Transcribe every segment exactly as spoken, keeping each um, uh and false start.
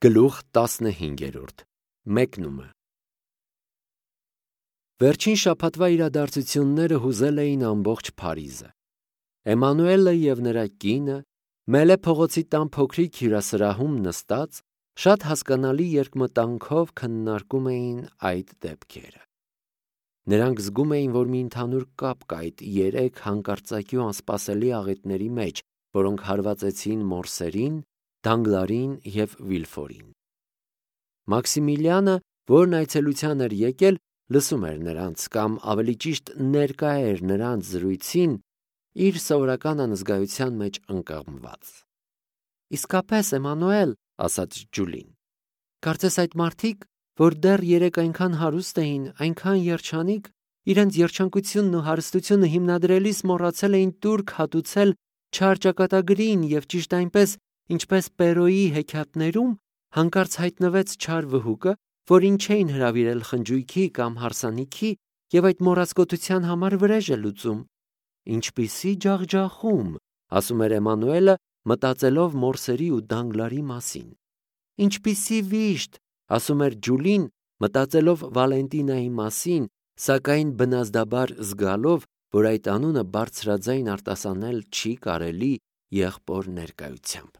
Գլուխ տասնհինգերորդ Մեկնումը Վերջին շաբաթվա իրադարձությունները հուզել էին ամբողջ Փարիզը։ Էմանուելը և նրա կինը Մելե փողոցի տան փոքրիկ հյուրասրահում նստած շատ հասկանալի երկմտանքով քննարկում էին այդ դեպքերը։ Նրանք զգում էին, որ մի ընդհանուր կապ կա այդ երեք հանկարծակի ու անսպասելի աղետների մեջ, որոնք հարվածեցին Մորսերին, Դանգլարին և Վիլֆորին։ Մաքսիմիլիանը, որն այցելության էր եկել, լսում էր նրանց, կամ ավելի ճիշտ ներկա էր նրանց զրույցին, իր սովորական անզգայության մեջ ընկղմված։ «Իսկապես, Էմանուել, — ասաց Ջուլին, — կարծես այդ մարդիկ, որ դեռ երեկ այնքան հարուստ էին, այնքան երջանիկ, իրենց երջանկությունն ու հարստությունը հիմնադրելիս մոռացել էին տուրք հատուցել չար ճակատագրին և ճիշտ այնպես, ինչպես Պերոյի հեքիաթներում, հանկարծ հայտնվեց չար վհուկը, որին չէին հրավիրել խնջույքի կամ հարսանիքի և այդ մոռացկոտության համար վրեժ է լուծում։ Ինչպիսի ջախջախում, — ասում էր Էմանուելը, մտածելով Մորսերի ու Դանգլարի մասին։ Ինչպիսի վիշտ, — ասում էր Ջուլին, մտածելով Վալենտինայի մասին, սակայն բնազդաբար զգալով, որ այդ անունը բարձրաձայն արտասանել չի կարելի եղբոր ներկայությամբ։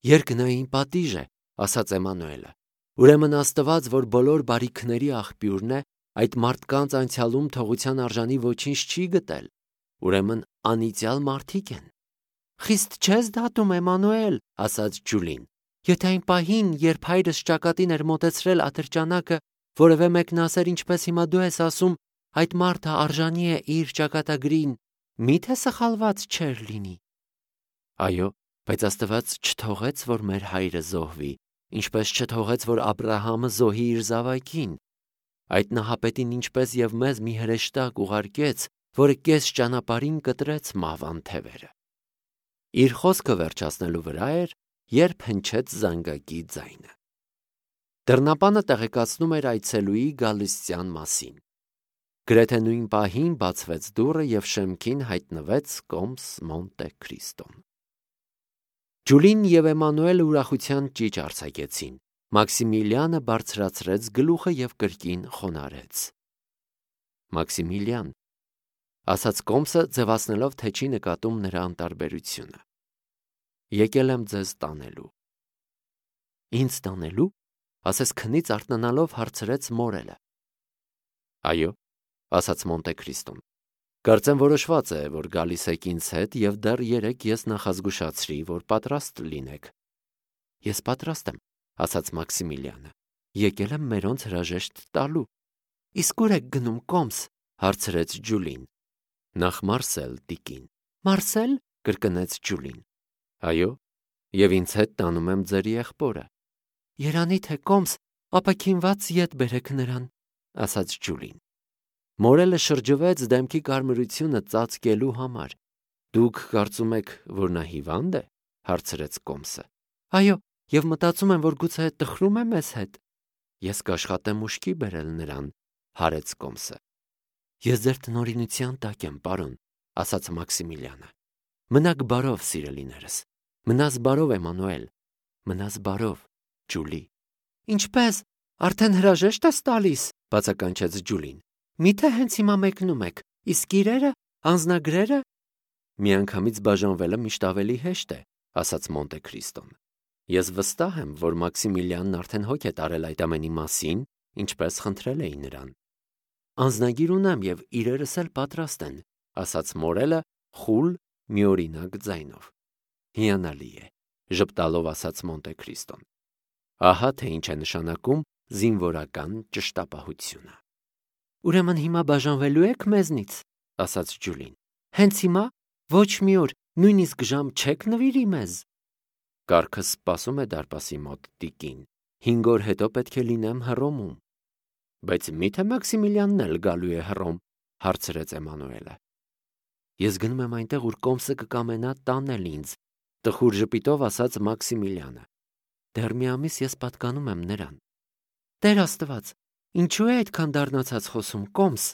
«Երկնային պատիժ է, — ասաց Էմանուելը, — ուրեմն Աստված, որ բոլոր բարիքների աղբյուրն է, այդ մարդկանց անցյալում թողության արժանի ոչինչ չի գտել, ուրեմն անիծյալ մարդիկ են»։ «Խիստ չես դատում, Էմանուել, — ասաց Ջուլին, — եթե այն պահին, երբ հայրս ճակատին էր մոտեցրել ատրճանակը, որևէ մեկն ասեր, ինչպես հիմա դու ես ասում, այդ մարդը արժանի է իր ճակատագրին, մի՞թե սխալված չէր լինի։ Այո, բայց Աստված չթողեց, որ մեր հայրը զոհվի, ինչպես չթողեց, որ Աբրահամը զոհի իր զավակին։ Այդ նահապետին ինչպես և մեզ մի հրեշտակ ուղարկեց, որը կես ճանապարհին կտրեց մահվան թևերը։ Իր խոսքը վերջացնելու վրա էր, երբ հնչեց զանգակի ձայնը։ Դռնապանը տեղեկացնում էր այցելուի գալստյան մասին։ Գրեթե նույն պահին բացվեց դուռը և շեմքին հայտնվեց կոմս Մոնտե Քրիստոն։ Ջուլին և Էմանուելը ուրախության ճիչ արձակեցին։ Մաքսիմիլիանը բարձրացրեց գլուխը և կրկին խոնարհեց։ Մաքսիմիլիան, — ասաց կոմսը, ձևացնելով, թե չի նկատում նրա անտարբերությունը, — եկել եմ ձեզ տանելու։ Ինձ տանելու, — ասես քնից արթնանալով հարցրեց մորելը։ Այո, — ասաց Մոնտե Քրիստոն, — կարծեմ որոշված է, որ գալիս եք ինձ հետ և դեռ երեկ ես նախազգուշացրի, որ պատրաստ լինեք։ Ես պատրաստ եմ, — ասաց Մաքսիմիլիանը, — եկել եմ մերոնց հրաժեշտ տալու։ Իսկ ուր եք գնում, կոմս, — հարցրեց Ջուլին։ Նախ Մարսել, տիկին։ Մարսել, — կրկնեց Ջուլին։ Այո, և ինձ հետ տանում եմ ձեր եղբորը։ Երանի թե կոմս, ապաքինված ետ բերեք նրան, — ասաց Ջուլին։ Մորելը շրջվեց դեմքի կարմրությունը ծածկելու համար։ Դուք կարծում եք, որ նա հիվա՞նդ է, — հարցրեց կոմսը։ Այո, և մտածում եմ, որ գուցե տխրում է մեզ հետ։ Ես կաշխատեմ ուշքի բերել նրան, — հարեց կոմսը։ Ես ձեր տնօրինության տակ եմ, պարոն, — ասաց Մաքսիմիլիանը։ Մնաք բարով, սիրելիներս, մնաս բարով, Էմանուել, մնաս բարով, Ջուլի։ Ինչպե՞ս, արդեն հրաժեշտ ես տալիս, — բացականչեց Ջուլին։ Մի՞թե հենց հիմա մեկնում եք, իսկ իրերը, անձնագրերը։ Միանգամից բաժանվելը միշտ ավելի հեշտ է, — ասաց Մոնտե Քրիստոն։ Ես վստահ եմ, որ Մաքսիմիլիանն արդեն հոգ է տարել այդ ամենի մասին, ինչպես խնդրել էի նրան։ Անձնագիր ունեմ և իրերս էլ պատրաստ են, — ասաց մորելը խուլ, միօրինակ ձայնով։ Հիանալի է, — ժպտալով ասաց Մոնտե Քրիստոն։ Ահա թե ինչ է նշանակում զինվորական ճշտապահությունը։ Ուրեմն հիմա բաժանվելու եք մեզնից, — ասաց Ջուլին։ Հենց հիմա, ոչ մի օր, նույնիսկ ժամ չեք նվիրի մեզ։ Կառքը սպասում է դարպասի մոտ, տիկին, հինգ օր հետո պետք է լինեմ Հռոմում։ Բայց մի՞թե Մաքսիմիլիանն էլ գալու է Հռոմ, — հարցրեց Էմանուելը։ Ես գնում եմ այնտեղ, ուր կոմսը կկամենա տանել ինձ, — տխուր ժպիտով ասաց Մաքսիմիլիանը։ Դեռ մի ամիս ես պատկանում եմ նրան։ Տեր Աստված, ինչու է այդքան դառնացած խոսում, կոմս։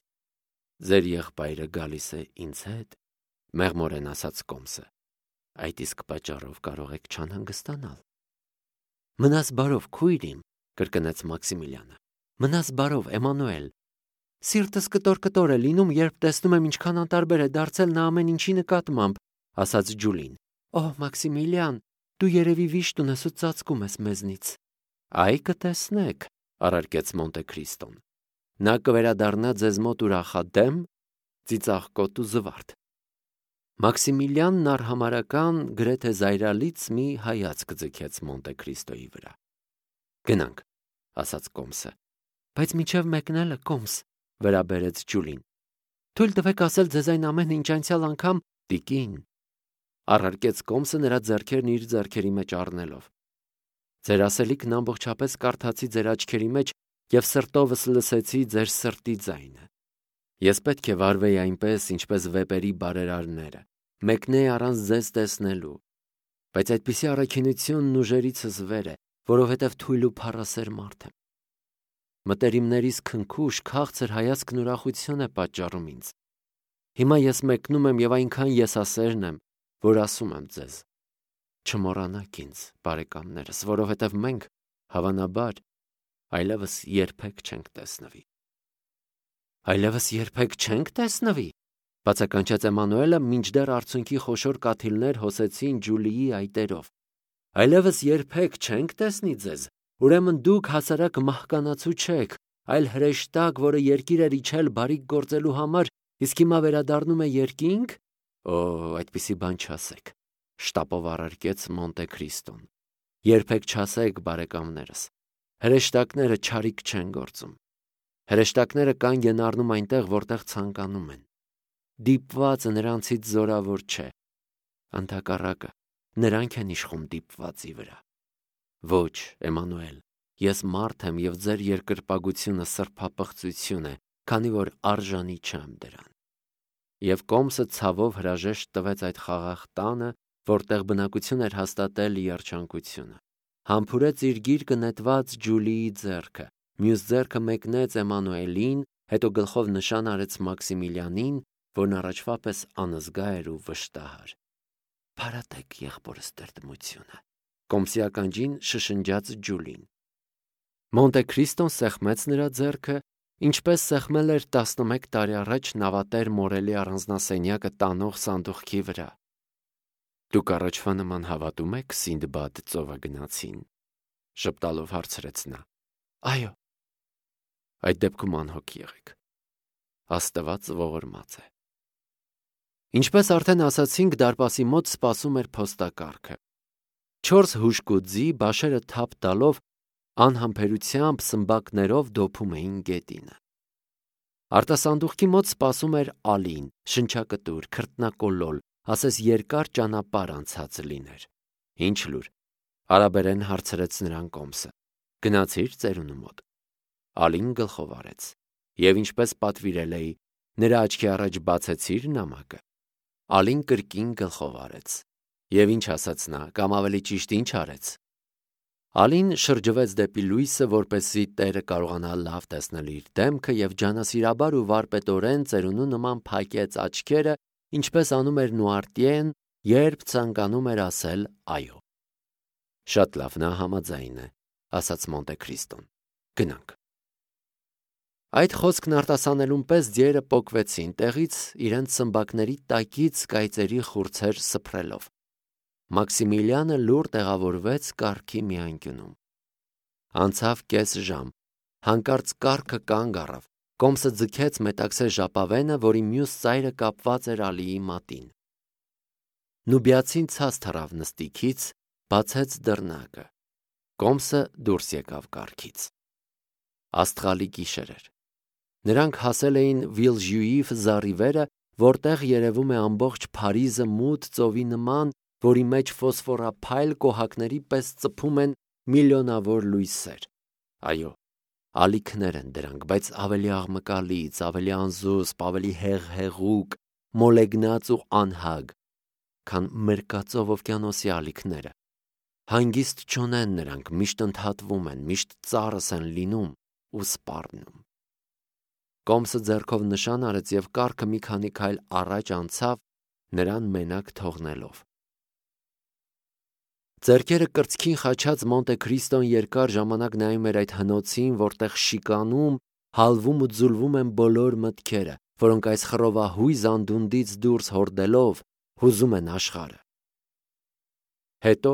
Ձեր եղբայրը գալիս է ինձ հետ, — մեղմորեն ասաց կոմսը։ Այդ իսկ պատճառով կարող եք չանհանգստանալ։ Մնաս բարով, քույր իմ, կրկնեց Մաքսիմիլյանը։ Մնաս բարով, Էմանուել։ Սիրտս կտոր-կտոր է լինում, երբ տեսնում եմ ինչքան անտարբեր է դարձել նա ամեն ինչի նկատմամբ, ասաց Ջուլին։ Օհ, Մաքսիմիլյան, դու երևի վիշտ ունես ու ծածկում ես մեզնից։ Այ կտեսնեք, առարկեց Մոնտե Քրիստոն։ Նա կվերադառնա ձեզ մոտ ուրախադեմ, ծիծաղկոտ ու զվարթ։ Մաքսիմիլյանն արհամարական գրեթե զայրալից մի հայացք ձգեց Մոնտե Քրիստոյի վրա։ Գնանք, ասաց Կոմսը։ Բայց մինչև մեկնելը, Կոմս, վրա բերեց Ջուլին։ Թույլ տվեք ասել ձեզ այն ամենը, ինչ անցյալ անգամ տիկին, առարկեց Կոմսը նրա ձեռքերն իր ձեռքերի մեջ առնելով։ Ձեր ասելիքն ամբողջապես կարդացի ձեր աչքերի մեջ և սրտովս լսեցի ձեր սրտի ձայնը։ Ես պետք է վարվեի այնպես, ինչպես վեպերի բարերարները, մեկնեի առանց ձեզ տեսնելու, բայց այդպիսի առաքինությունն ուժերիցս վեր է, որովհետև թույլ ու փառասեր մարդ եմ։ Մտերիմներիս քնքուշ, քաղցր հայացքն ուրախություն է պատճառում ինձ։ Հիմա ես մեկնում եմ և այնքան եսասերն եմ, որ ասում եմ ձեզ. չմոռանաք ինձ, բարեկամներս, որովհետև մենք, հավանաբար, այլևս երբեք չենք տեսնվի։ Այլևս երբեք չենք տեսնվի, բացականչեց Էմանուելը, մինչդեռ արցունքի խոշոր կաթիլներ հոսեցին Ջուլիի այտերով։ Այլևս երբեք չենք տեսնի ձեզ, ուրեմն դուք հասարակ մահկանացու չեք, այլ հրեշտակ, որը երկիր էր իջել բարիք գործելու համար, իսկ հիմա վերադառնում է երկինք։ Օ, այդպիսի բան չասեք, շտապով առարկեց Մոնտե Քրիստոն։ Երբեք չասեք, բարեկամներս, հրեշտակները չարիք չեն գործում։ Հրեշտակները կանգ են առնում այնտեղ, որտեղ ցանկանում են։ Դիպվածը նրանցից զորավոր չէ։ Ընդհակառակը, նրանք են իշխում դիպվածի վրա։ Ոչ, Էմանուել, ես մարդ եմ և ձեր երկրպագությունը սրբապղծություն է, քանի որ արժանի չեմ դրան։ Եվ Կոմսը ցավով հրաժեշտ տվեց այդ խաղաղ տանը, որտեղ բնակություն էր հաստատել երջանկությունը։ Համբուրեց իր գիրկը նետված Ջուլիի ձեռքը, մյուս ձեռքը մեկնեց Էմանուելին, հետո գլխով նշան արեց Մաքսիմիլյանին, որն առաջվա պես անզգա էր ու վշտահար։ Փարատեք եղբորս տրտմությունը, Կոմսի ականջին շշնջաց Ջուլին։ Մոնտե Քրիստոն սեղմեց նրա ձեռքը, ինչպես սեղմել էր տասնմեկ տարի առաջ նավատեր Մորելի առանձնասենյակը տանող սանդուղքի վրա։ Դուք առաջվա նման հավատում եք Սինդբադ ծովագնացին, ժպտալով հարցրեց նա։ Այո։ Այդ դեպքում անհոգ եղեք։ Աստված ողորմած է։ Ինչպես արդեն ասացինք, դարպասի մոտ սպասում էր փոստակառքը։ Չորս հուժկուձի բաշերը թափ տալով անհամբերությամբ սմբակներով դոփում էին գետինը։ Արտասանդուղքի մոտ սպասում էր Ալին, շնչակտուր, քրտնակոլոլ, ասես երկար ճանապարհ անցած լիներ։ Ինչ լուր, արաբերեն հարցրեց նրան Կոմսը։ Գնացի՞ր ծերունու մոտ։ Ալին գլխով արեց։ Եվ ինչպես պատվիրել էի, նրա աչքի առաջ բացեցի՞ր նամակը։ Ալին կրկին գլխով արեց։ Եվ ինչ ասաց նա, կամ ավելի ճիշտ ինչ արեց։ Ալին շրջվեց դեպի լույսը, որպեսզի տերը կարողանա լավ տեսնել իր դեմքը և ջանասիրաբար ու վարպետորեն ծերունու նման փակեց աչքերը, ինչպես անում էր Նուարտիեն, երբ ցանկանում էր ասել այո։ Շատ լավ, նա համաձայն է, ասաց Մոնտե Քրիստոն։ Գնանք։ Այդ խոսքն արտասանելուն պես ձիերը պոկվեցին տեղից, իրենց սմբակների տակից կայծերի խուրձեր սփռելով։ Մաքսիմիլյանը լուռ տեղավորվեց կառքի մի անկյունում։ Անցավ կես ժամ, հանկարծ կառքը կանգ առավ։ Կոմսը ձգեց մետաքսե ժապավենը, որի մյուս ծայրը կապված էր Ալիի մատին։ Նուբիացին ցած թռավ նստիքից, բացեց դռնակը։ Կոմսը դուրս եկավ կառքից։ Աստղալի գիշեր էր։ Նրանք հասել էին Վիլժյուիֆ զառիվերը, որտեղ երևում է ամբողջ Փարիզը մութ ծովի նման, որի մեջ ֆոսֆորափայլ կոհակների պես ծփում են միլիոնավոր լույսեր։ Այո, ալիքներ են դրանք, բայց ավելի աղմկալից, ավելի անզուսպ, ավելի հեղհեղուկ, մոլեգնած ու անհագ, քան մերկածով օվկիանոսի ալիքները։ Հանգիստ չունեն նրանք, միշտ ընդհատվում են, միշտ ծառս են լինում ու սպառնում։ Կոմսը ձեռքով նշան արեց և կառքը մի քանի քայլ առաջ անցավ, նրան մենակ թողնելով։ Ձեռքերը կրծքին խաչած Մոնտե Քրիստոն երկար ժամանակ նայում էր այդ հնոցին, որտեղ շիկանում, հալվում ու ձուլվում են բոլոր մտքերը, որոնք այս խռովահույզ անդունդից դուրս հորդելով հուզում են աշխարհը։ Հետո,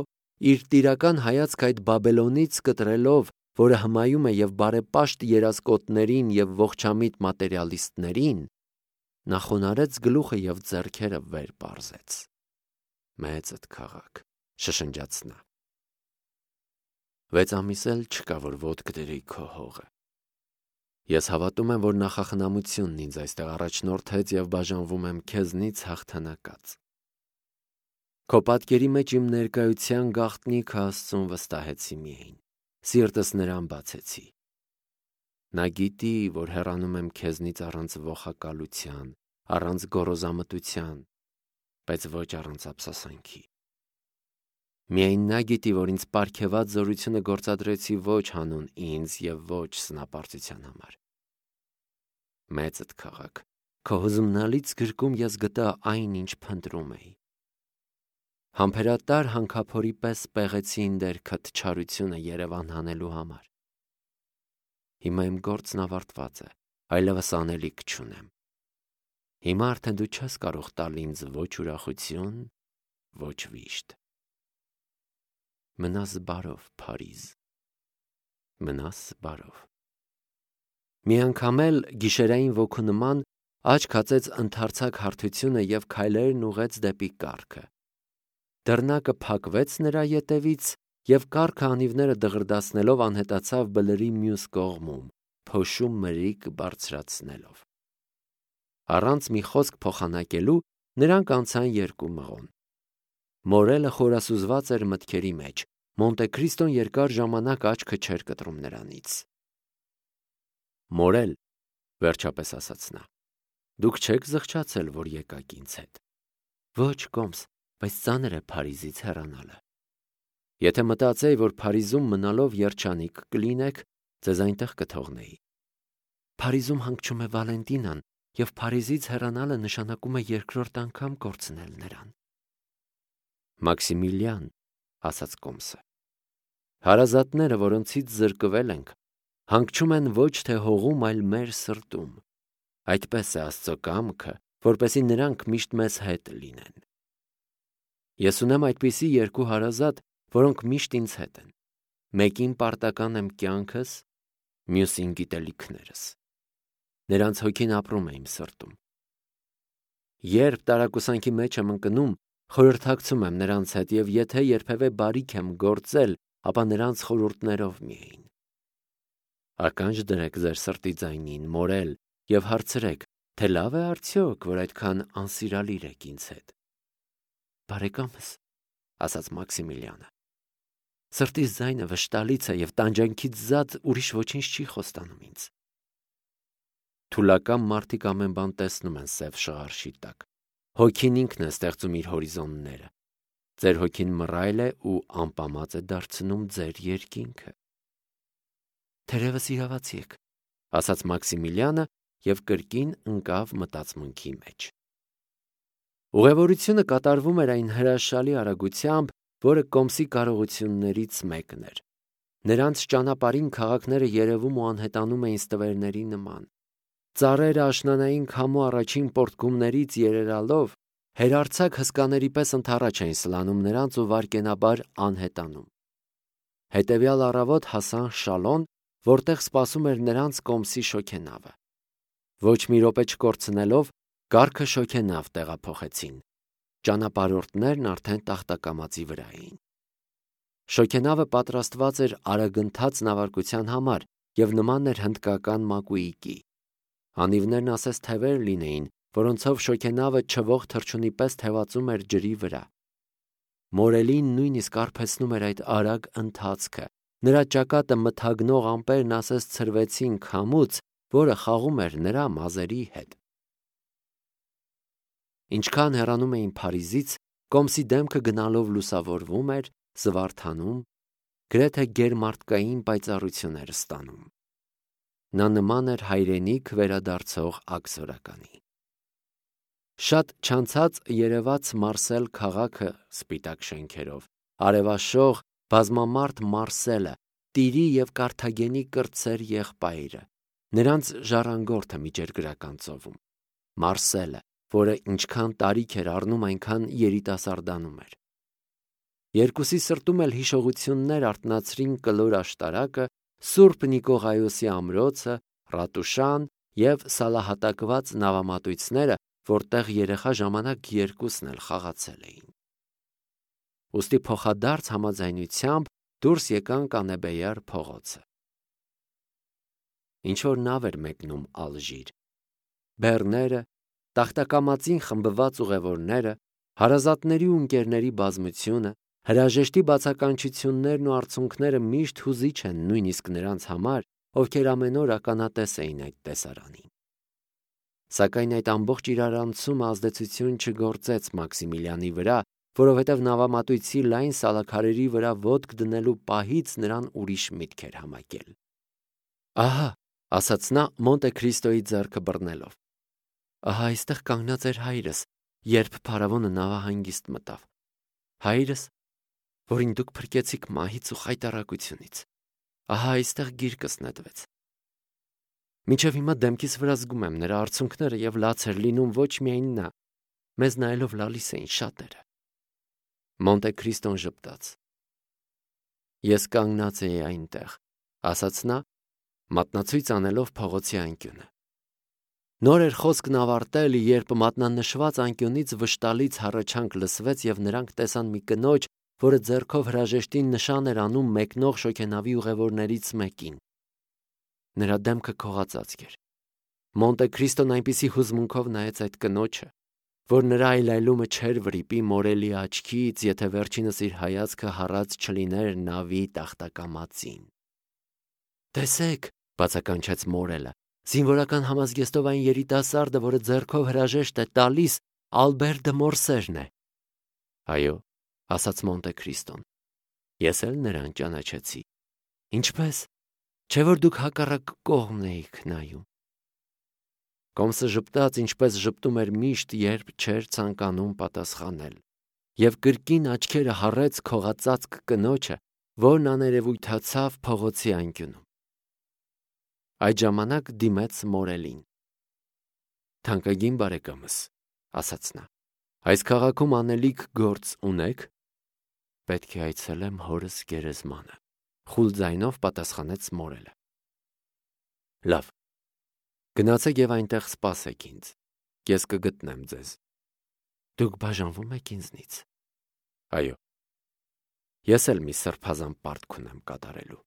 իր տիրական հայացք այդ Բաբելոնից կտրելով, որը հմայում է և բարեպաշտ երասկոտներին և ողջամիտ մատերիալիստներին, նա խոնարհեց գլուխը և ձեռքերը վեր պարզեց։ Մեծդ քաղաք, շշնջաց նա։ Վեց ամիս էլ չկա, որ ոտք դրի քո հողը։ Ես հավատում եմ, որ նախախնամությունն ինձ այստեղ առաջնորդեց և բաժանվում եմ քեզնից հաղթանակած։ Քո պատկերի մեջ իմ ներկայության գաղտնիքը Աստծուն վստահեցի միայն, սիրտս նրան բացեցի։ Նա գիտի, որ հեռանում եմ քեզնից առանց ոխակալության, առանց գոռոզամտության, բայց ոչ առանց ափսոսանքի։ Միայն նա գիտի, որ ինձ պարգևած զորությունը գործադրեցի ոչ հանուն ինձ և ոչ սնապարծության համար։ Մեծդ քաղաք, քո հուզումնալից գրկում ես գտա այն, ինչ փնտրում էի։ Համբերատար հանքափորի պես պեղեցի իմ դերքդ չարությունը Երևան հանելու համար։ Հիմա իմ գործն ավարտված է, այլևս անելիք չունեմ։ Հիմա արդեն դու չես կարող տալ ինձ ոչ ուրախություն, ոչ վիշտ։ Մնաս բարով, Փարիզ, մնաս բարով։ Մի անգամ էլ գիշերային ոգու նման աչք հացեց ընդարձակ հարթությունը և քայլերն ուղեց դեպի կառքը։ Դռնակը փակվեց նրա ետևից, և կառքը անիվները դղրդացնելով անհետացավ բլրի մյուս կողմում, փոշու մրիկ բարձրացնելով։ Առանց մի խոսք փոխանակելու նրանք անցան երկու մղոն։ Մորելը խորասուզված էր մտքերի մեջ, Մոնտե Քրիստոն երկար ժամանակ աչքը չէր կտրում նրանից։ Մորել, վերջապես ասաց նա, դուք չեք զղջացել, որ եկաք ինձ հետ։ Ոչ, կոմս, բայց ծանր է Փարիզից հեռանալը։ Եթե մտածեի, որ Փարիզում մնալով երջանիկ կլինեք, ձեզ այնտեղ կթողնեի։ Փարիզում հանգչում է Վալենտինան, և Փարիզից հեռանալը նշանակում է երկրորդ անգամ կորցնել նրան։ Մաքսիմիլիան, ասաց կոմսը, հարազատները, որոնցից զրկվել ենք, հանգչում են ոչ թե հողում, այլ մեր սրտում։ Այդպես է Աստծո կամքը, որպեսզի նրանք միշտ մեզ հետ լինեն։ Ես ունեմ այդպիսի երկու հարազատ, որոնք միշտ ինձ հետ են։ Մեկին պարտական եմ կյանքս, մյուսին գիտելիքներս։ Նրանց հոգին ապրում է իմ սրտում։ Երբ տարակուսանքի մեջ եմ ընկնում, խորհրդակցում եմ նրանց հետ, և եթե երբևէ բարիք եմ գործել, ապա նրանց խորհուրդներով միայն։ Ականջ դրեք ձեր սրտի ձայնին, մորել, և հարցրեք, թե լավ է արդյոք, որ այդքան անսիրալիր եք ինձ հետ։ Բարեկամս, ասաց Մաքսիմիլիանը, սրտիս ձայնը վշտալից է և տանջանքից զատ ուրիշ ոչինչ չի խոստանում ինձ։ Թուլակամ մարդիկ ամեն բան տեսնում են սև շղարշի տակ։ Հոգին ինքն է ստեղծում իր հորիզոնները։ Ձեր հոգին մռայլ է ու անպամած է դարձնում ձեր երկինքը։ Թերևս իրավացի եք, ասաց Մաքսիմիլիանը և կրկին ընկավ մտածմունքի մեջ։ Ուղևորությունը կատարվում էր այն հրաշալի արագությամբ, որը կոմսի կարողություններից մեկն էր։ Նրանց ճանապարհին քաղաքները երևում ու անհետանում էին ստվերների նման։ Ծառերը աշնանային քամու առաջին պոռթկումներից երերալով հերարձակ հսկաների պես ընդառաջ էին սլանում նրանց ու վայրկենաբար անհետանում։ Հետևյալ առավոտ հասան Շալոն, որտեղ սպասում էր նրանց կոմսի շոգենավը։ Ոչ մի րոպե չկորցնելով կառքը շոգենավ տեղափոխեցին։ Ճանապարհորդներն արդեն տախտակամածի վրա էին։ Շոգենավը պատրաստված էր արագընթաց նավարկության համար և նման էր հնդկական մակույիկի։ Անիվներն ասես թևեր լինեին, որոնցով շոգենավը չվող թռչունի պես թևածում էր ջրի վրա։ Մորելին նույնիսկ արբեցնում էր այդ արագ ընթացքը։ Նրա ճակատը մթագնող ամպերն ասես ցրվեցին քամուց, որը խաղում էր նրա մազերի հետ։ Ինչքան հեռանում էին Փարիզից, կոմսի դեմքը գնալով լուսավորվում էր, զվարթանում, գրեթե գերմարդկային պայծառություն էր ստանում։ Նա նման էր հայրենիք վերադարձող աքսորականի։ Շատ չանցած երևաց Մարսել քաղաքը սպիտակ շենքերով, արևաշող, բազմամարդ Մարսելը, Տիրի և Կարթագենի կրտսեր եղբայրը, նրանց ժառանգորդը միջերգրական ծովում, Մարսելը, որը ինչքան տարիք էր առնում, այնքան երիտասարդանում էր։ Երկուսի սրտում էլ հիշողություններ արթնացրին կլոր աշտարակը, Սուրբ Նիկողայոսի ամրոցը, Ռատուշան և սալահատակված նավամատույցները, որտեղ երեխա ժամանակ երկուսն էլ խաղացել էին։ Ուստի փոխադարձ համաձայնությամբ դուրս եկան Կանեբեյար փողոցը։ Ինչ-որ նավ էր մեկնում Ալժիր։ Բեռները, տախտակամածին խմբված ուղևորները, հարազատների ու ընկերների բազմությունը, հրաժեշտի բացականչություններն ու արցունքները միշտ հուզիչ են նույնիսկ նրանց համար, ովքեր ամեն օր ականատես էին այդ տեսարանին։ Սակայն այդ ամբողջ իրարանցումը ազդեցություն չգործեց Մաքսիմիլիանի վրա, որովհետև նավամատույցի լայն սալաքարերի վրա ոտք դնելու պահից նրան ուրիշ միտք էր համակել։ «Ահա», ասաց նա Մոնտե Քրիստոյի ձեռքը բռնելով, «ահա այստեղ կանգնած էր հայրս, երբ փարավոնը նավահանգիստ մտավ։ Հայրս, որին դուք փրկեցիք մահից ու խայտառակությունից, ահա այստեղ գիրկս նետվեց։ Մինչև հիմա դեմքիս վրա զգում եմ նրա արցունքները և լաց էր լինում ոչ միայն նա, մեզ նայելով լալիս էին շատերը»։ Մոնտե Քրիստոն ժպտաց։ «Ես կանգնած էի այնտեղ», ասաց նա, մատնացույց անելով փողոցի անկյունը։ Նոր էր խոսքն ավարտել, երբ մատնանշված անկյունից վշտալից հառաչանք լսվեց և նրանք տեսան մի կնոջ, որը ձեռքով հրաժեշտին նշան էր անում մեկնող շոգենավի ուղևորներից մեկին։ Նրա դեմքը քողածածկ էր։ Մոնտե Քրիստոն այնպիսի հուզմունքով նայեց այդ կնոջը, որ նրա այլայլումը չէր վրիպի մորելի աչքից, եթե վերջինս իր հայացքը հառած չլիներ նավի տախտակամածին։ «Տեսեք», բացականչեց մորելը, «զինվորական համազգեստով այն երիտասարդը, որը ձեռքով հրաժեշտ է տալիս, Ալբեր դը Մորսերն է»։ «Այո», ասաց Մոնտե Քրիստոն, «ես էլ նրան ճանաչեցի»։ «Ինչպե՞ս, չէ՞ որ դուք հակառակ կողմն էիք նայում»։ Կոմսը ժպտաց, ինչպես ժպտում էր միշտ, երբ չէր ցանկանում պատասխանել, և կրկին աչքերը հառեց քողածածկ կնոջը, որն աներևույթացավ փողոցի անկյունում։ Այդ ժամանակ դիմեց մորելին։ «Թանկագին բարեկամս», ասաց նա, «այս քաղաքում անելիք գործ ունե՞ք»։ «Պետք է այցելեմ հորս գերեզմանը», խուլ ձայնով պատասխանեց մորելը։ «Լավ, գնացեք և այնտեղ սպասեք ինձ, ես կգտնեմ ձեզ»։ «Դուք բաժանվում եք ինձնից»։ «Այո, ես էլ մի սրբազան պարտք ունեմ կատարելու»։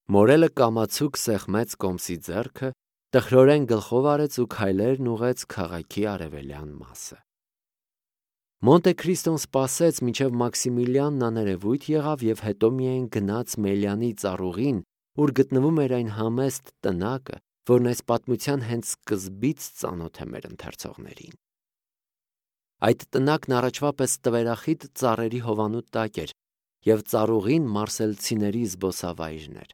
Մորելը կամացուկ սեղմեց Կոմսի ձեռքը, տխրորեն գլխով արեց ու քայլերն ուղղեց քաղաքի արևելյան մասը։ Մոնտե Քրիստոն սպասեց, մինչև Մաքսիմիլիանն աներևույթ եղավ և հետո միայն գնաց Մելյանի ծառուղին, ուր գտնվում էր այն համեստ տնակը, որն այս պատմության հենց սկզբից ծանոթ է մեր ընթերցողներին։ Այդ տնակն առաջվա պես տվերախիտ ծառերի հովանու տակ էր, և ծառուղին մարսելցիների զբոսավայրն էր։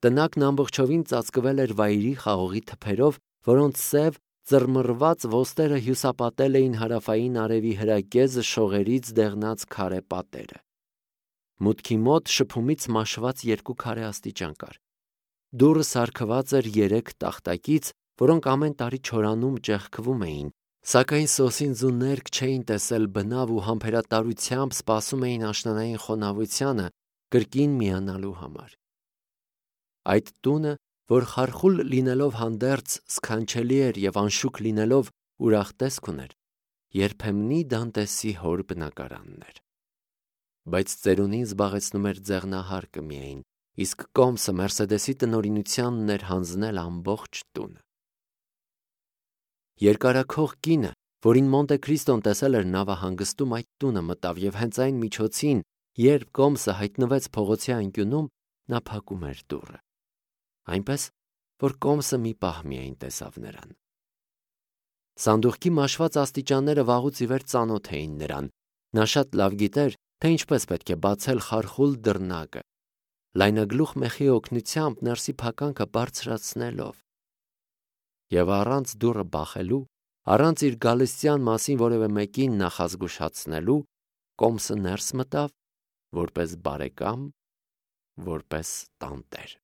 Տնակն ամբողջովին ծածկվել էր վայրի խաղողի թփերով, որոնց սև, ծռմռված ոստերը հյուսապատել էին հարավային արևի հրակեզը շողերից դեղնած քարե պատերը։ Մուտքի մոտ շփումից մաշված երկու քարե աստիճան կար։ Դուռը սարքված էր երեք տախտակից, որոնք ամեն տարի չորանում ճեղքվում էին, սակայն սոսինձ ու ներք չէին տեսել բնավ ու համբերատարությամբ սպասում էին աշնանային խոնավությանը կրկին միանալու համար։ Այդ տունը, որ խարխուլ լինելով հանդերձ սքանչելի էր և անշուք լինելով ուրախ տեսք ուներ, երբեմնի Դանտեսի հոր բնակարանն էր։ Բայց ծերունին զբաղեցնում էր ձեղնահարկը միայն, իսկ Կոմսը Մերսեդեսի տնօրինությանն էր հանձնել ամբողջ տունը։ Երկարաքող կինը, որին Մոնտե Քրիստոն տեսել էր նավահանգստում, այդ տունը մտավ և հենց այն միջոցին, երբ Կոմսը հայտնվեց փողոցի անկյունում, նա փակում էր դուռը, այնպես, որ Կոմսը մի պահ միայն տեսավ նրան։ Սանդուղքի մաշված աստիճանները վաղուց ի վեր ծանոթ էին նրան, նա շատ լավ գիտեր, թե ինչպես պետք է բացել խարխուլ դռնակը, լայնագլուխ մեխի օգնությամբ ներսի փականքը բարձրացնելով։ Եվ առանց դուռը բախելու, առանց իր գալստյան մասին որևէ մեկին նախազգուշացնելու, Կոմսը ներս մտավ որպես բարեկամ, որպես տանտեր։